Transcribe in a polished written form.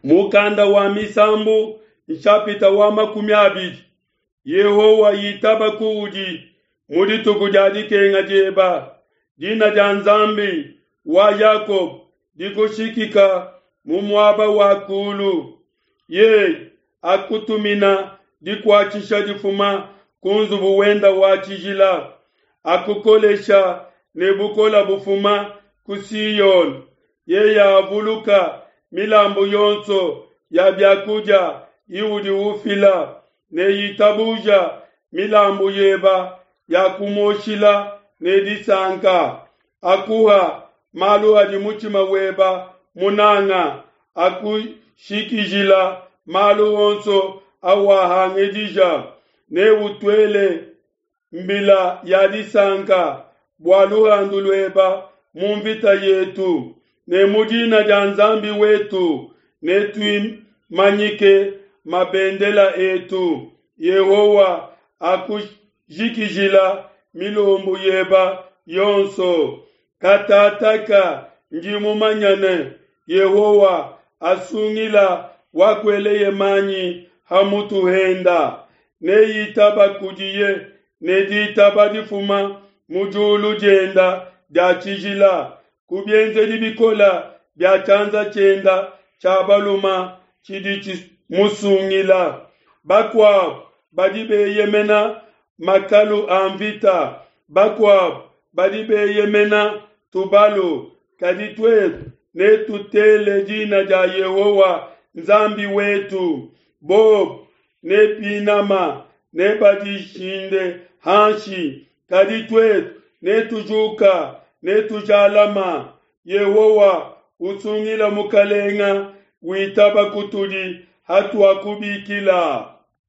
Mukanda wa Misambu nshapita wa 20. Yehowa itaba kuudi mu dituku dia dikenga dieba. Dina dia Nzambi wa Yakobo dikushikika mu muaba wa kulu. Yeye akutumina dikuatshisha difuma ku nzubu wenda wa tshijila, akukolesha ne bukola bufuma ku Siyone. Yeye avuluka milambu yonso ya biakudia iudi ufila ne itabuja milambu yeba ya kumuoshila ne disanka. Akuha malu adi mutshima weba munanga, akushikijila malu onso awahangidija. Neutuele mbila ya disanka bua luhandu lueba mu mvita yetu, ne mu dina dia Nzambi wetu netuimanyike mabendela etu. Yehowa akujikijila milombu yeba yonso. Katataka ndi mumanya ne Yehowa asungila wakueleye manyi ha mutu henda. Neitaba kudiye ne ditaba difuma mu diulu dienda dia tshijila, ku bienzedi bikola bia tshianza tshienda tshia baluma tshidi tshimusungila. Bakuabu badi beyemena makalu a mvita, bakuabu badi beyemena tubalu, kadi tuetu netutele dina dia Yehowa Nzambi wetu. Bobu ne binama nebadishinde hanshi, kadi tuetu netujuka netujalama. Yehowa usungila mukalenga, witaba kutudi hatuakubikila.